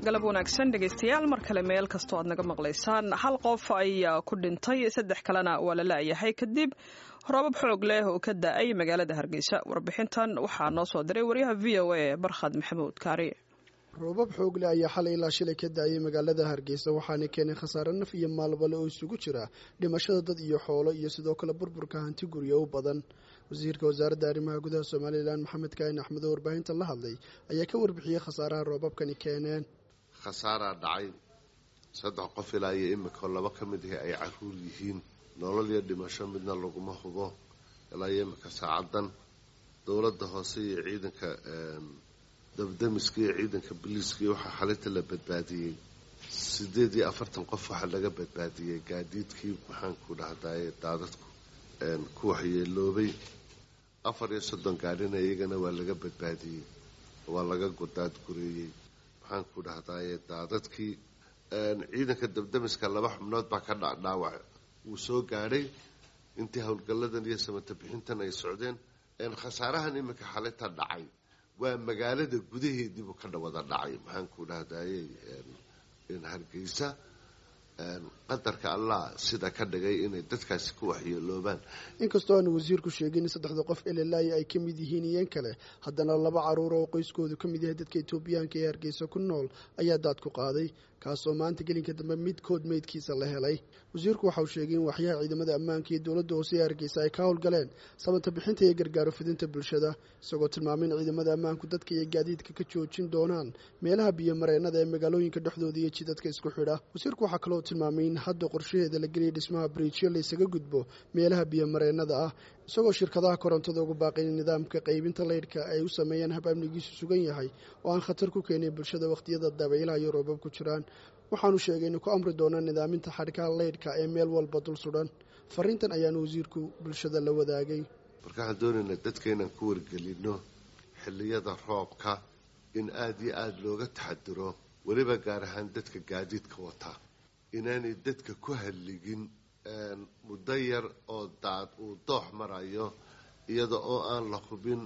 Galab wanaagsan dhegeystayaal, mar kale meel kastoo aad naga maqlaysaan. Hal qof ayaa ku dhintay, saddex kalena waa la laayahay kadib roobab xoog leh oo ka da-ay magaalada Hargeysa. Warbixintan waxaa noo soo diray wariyaha VOA Barkhad Maxamuud Kaari. Roobab xoog leh ayaa xalay ilaa shilay ka da-ayay magaalada Hargeysa, waxaana keenay khasaare naf iyo maalbale oo isugu jira dhimashada dad iyo xoolo iyo sidoo kale burburka hanti guryo u badan. Wasiirka Wasaaradda Arrimaha Gudaha Somalilan, Maxamed Kaahin Axmed, oo warbaahinta la hadlay, ayaa ka warbixiyey khasaaraha roobabkani keeneen. Khasaaraa dhacay, saddex qof ilaa iyo imika, laba ka mid ahi ay caruur yihiin. Nolol iyo dhimasho midna laguma hubo ilaa iyo imika saacadan. Dowladda hoose iyo ciidanka dabdamiska iyo ciidanka biliiska waxaa xalinta la badbaadiyey 48 qof. Waxaa laga badbaadiyey gaadiidkii, maxaanku dhahdaye, daadadku ku waxyeeloobay. 34 gaadhina iyagana waa laga badbaadiyey, waa laga daadgureeyey, maxaanku dhahdaye, daadadkii. Ciidanka dabdamiska laba xubnood baa ka dhaawac wuu soo gaadhay intii howlgalladan iyo samata bixintan ay socdeen. Khasaarahan iminka xalinta dhacay waa magaalada gudaheediibuu ka wada dhacay, maxaanku dhahdaye, Hargeysa. Qadarka Allah sida ka dhigay inay dadkaasi ku waxyeeloobaan. Inkastoo aanu wasiirku sheegin in saddexda qof elelaayi ay ka mid yihiin iyan kale, haddana laba caruur oo qoyskoodu ka mid yahay dadka Etoobiyaanka ee Hargeysa ku nool ayaa daad ku qaaday, kaasoo maanta gelinka dambe midkood meydkiisa la helay. Wasiirku waxa uu sheegay in waxyaha ciidamada ammaanka iyo dowladda hoose ee Hargeysa ay ka howlgaleen samata bixinta iyo gargaaro fidinta bulshada, isagoo tilmaamay in ciidamada ammaanku dadka iyo gaadiidka ka joojin doonaan meelaha biyomareennada ee magaalooyinka dhexdooda iyo jidadka isku xidha. Wasiirku waxaa kaloo tilmaamay in hadda qorshaheeda la geliyay dhismaha bridjyo laysaga gudbo meelaha biyomareennada ah, isagoo shirkadaha korontada ugu baaqay in nidaamka qaybinta leydhka ay u sameeyaan hab amnigiisu sugan yahay oo aan khatar ku keenin bulshada wakhtiyada dabaylaha iyo roobab ku jiraan. Waxaanu sheegay inuu ku amri doonaa nidaaminta xadhkaha leydhka ee meel walba dul sudhan. Fariintan ayaanu wasiirku bulshada la wadaagay. Marka waxaan doonaynaa dadka inaan ku wargelino xilliyada roobka in aada iyo aada looga taxadiro, weliba gaar ahaan dadka gaadiidka wata, inaanay dadka ku halligin muddo yar oo daad uu doox marayo, iyada oo aan la hubin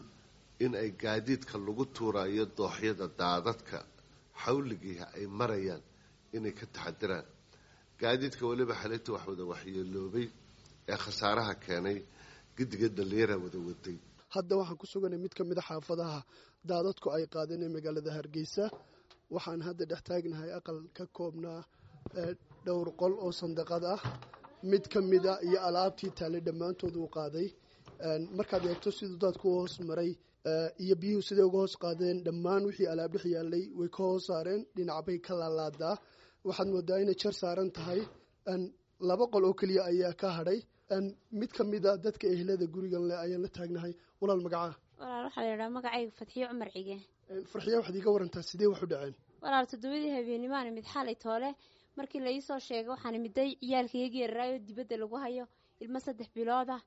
in ay gaadiidka lagu tuurayo dooxyada daadadka xawligiiha ay marayaan, inay ka taxadiraan gaadiidka. Weliba xalinta wax wada waxyeeloobay ee khasaaraha keenay gidiga dhallinyara wada waday. Hadda waxaan ku suganay mid ka mid a xaafadaha daadadku ay qaadeen ee magaalada Hargeysa. Waxaan hadda dhex taagnahay aqal ka koobnaa dhowr qol oo sandaqad ah. Mid ka mida iyo alaabtii taallay dhammaantood uu qaaday. Markaad eegto siduu daadku u hoos maray iyo biyuhu siday uga hoos qaadeen, dhammaan wixii alaab dhex yaallay way ka hoos saareen, dhinac bay ka laalaadaa. Waxaad moodaa inay jar saaran tahay. Laba qol oo keliya ayaa ka hadhay. Mid ka mida dadka ehlada gurigan leh ayaan la taagnahay. Walaal, magacaa? Walaal, waxaa la yidhaha magacayga Fadxiyo Cumar Cige. Farxiya, waxaad iiga warantaa sidee wax u dhaceen? Walaal, 7dii habeenimaana mid xalay toole markii la iisoo sheegay, waxaana miday ciyaalkayga yararaayo dibadda lagu hayo, ilmo 3 bilood ah,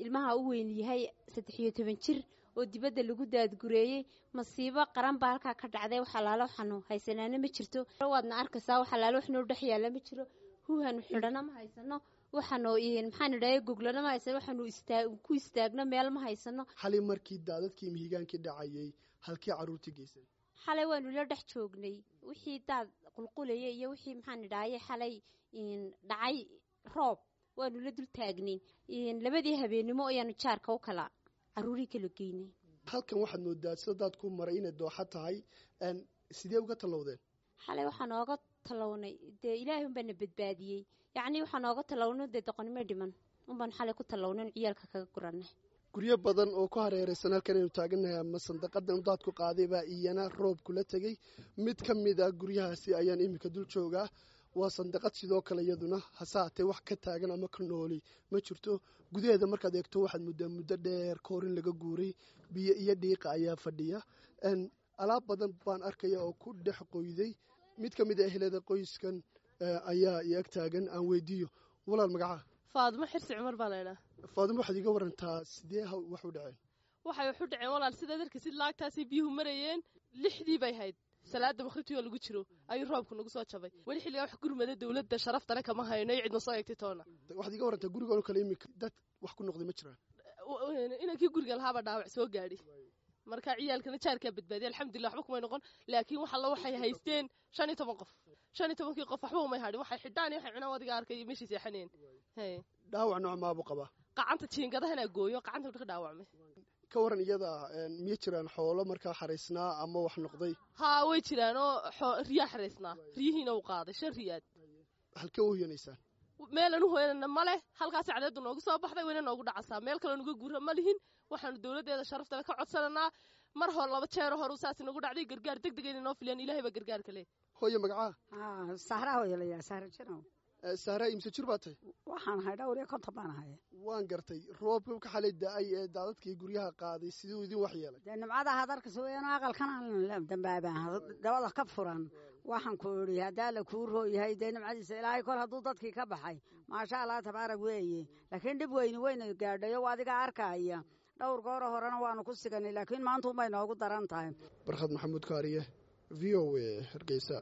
ilmaha u weyn yahay 13 jir, oo dibadda lagu daadgureeyey. Masiibo qaran baa halkaa ka dhacday. Wax alaalo waxaanu haysanaana ma jirto, waadna arkaysaa. Wax alaalo wax noo dhex yaalla ma jiro. Huuhanu xidhana ma haysano, waxaanu maxaan idhahay goglana ma haysano, waxaanu ku istaagno meel ma haysano. Xalay markii daadadkii mihigaankii dhacayay, halkii carruurtii geysan? Xalay waanu la dhex joognay wixii daad qulqulayay iyo wixii, maxaan idhahaye, xalay dhacay roob waanu la dul taagnay. 2dii habeennimo ayaanu jaarka u kala carruurii kala geynay. Halkan waxaad moodaa sida daadku maray inay dooxa tahay. Sidee uga tallowdeen? Xalay waxaa nooga tallownay dee Ilaahay unbaa na badbaadiyey. Yacnii waxaa nooga tallownay dee doqonnimo dhiman unbaan xalay ku tallownay ciyaalka kaga guranay. Guryo badan oo ku hareereysan halkan aynu taagannahay ama sandaqadan daadku qaaday baa iyana roob kula tegey. Mid ka mid a guryahaasi ayaan iminka dul joogaa. Waa sandaqad sidoo kale iyaduna, hase haatee wax ka taagan ama ka nooli ma jirto. Gudaheeda markaad eegto waxaad muddaa muddo dheer ka hor in laga guuray. Biyo iyo dhiiqa ayaa fadhiya. Alaab badan baan arkaya oo ku dhex qoyday. Mid ka mid a ehlada qoyskan ayaa i ag taagan, aan weydiiyo. Walaal, magacaa? Faadimo Xirsi Cumar baa laydhaha. Faadimo, waxaad iiga warantaa sidee wax u dhaceen? Waxay wax u dhaceen walaal, sidaad arkaysid laagtaasay biyuhu marayeen. 6dii bay hayd, salaada maqribtii oo lagu jiro ayuu roobku nagu soo jabay. Weli xilligaa wax gurmada dowladda sharaftale kama hayno iyo cidna soo eegtay toona. Waxaad iiga warantaa gurigan oo kale imika dad wax ku noqday ma jiraan? Inankii guriga lahaabaa dhaawac soo gaadhi. Marka ciyaalkana jaarkaa badbaadiya, alxamdulillah, waxba kumay noqon. Laakiin wax alla waxay haysteen 15 qof, 15-kii qof waxba umay hadhin. Waxay xidhaan iyo waxay cunaan adiga arkay, meeshay seexaneen. Dhaawac nooc maabuu qabaa? Qacanta jiingadahana gooyo, qacanta ka dhaawacmay. Ka waran iyada, miya jiraan xoolo markaa xaraysnaa ama wax noqday? Haa, way jiraan oo riyaa xaraysnaa, riyihiina uu qaaday, 5 riyaad. Halkee u hoyanaysaan? Meelaan u hoyanana ma leh. Halkaasi cadeedu noogu soo baxday, wayna noogu dhacasaa. Meel kaloo nuga guura ma lihin. Waxaanu dowladdeeda sharaftale ka codsananaa, mar hor 2 jeero horu saas inagu dhacday, gargaar deg deg inay noo filiyaan. Ilahay baa gargaarka leh. Hooye, magacaa? Sahra hooyalaya, Sahra Janow. Sahra, imse jir baa tahay? Waxaan ahay 59 baan ahay. Waan gartay. Roobka xalay da-ay ee daadadkii guryaha qaaday siduu idin wax yeelay? Dee nimcada hadarkas weeyaan, aqalkan aan dambaabaan dabada ka furan. Waxaan ku idhi, haddaa la kuu rooyahay, dee nimcadiisa Ilaahay kol hadduu dadkii ka baxay, maasha Allah tabaarak weeye. Laakiin dhib weyni weyna gaadhayo, adiga arkaya. Dhowr gooro horena waanu ku siganay, laakiin maanta unbay noogu daran tahay. Barkhad Maxamuud Kaariye, V O A, Hargeysa.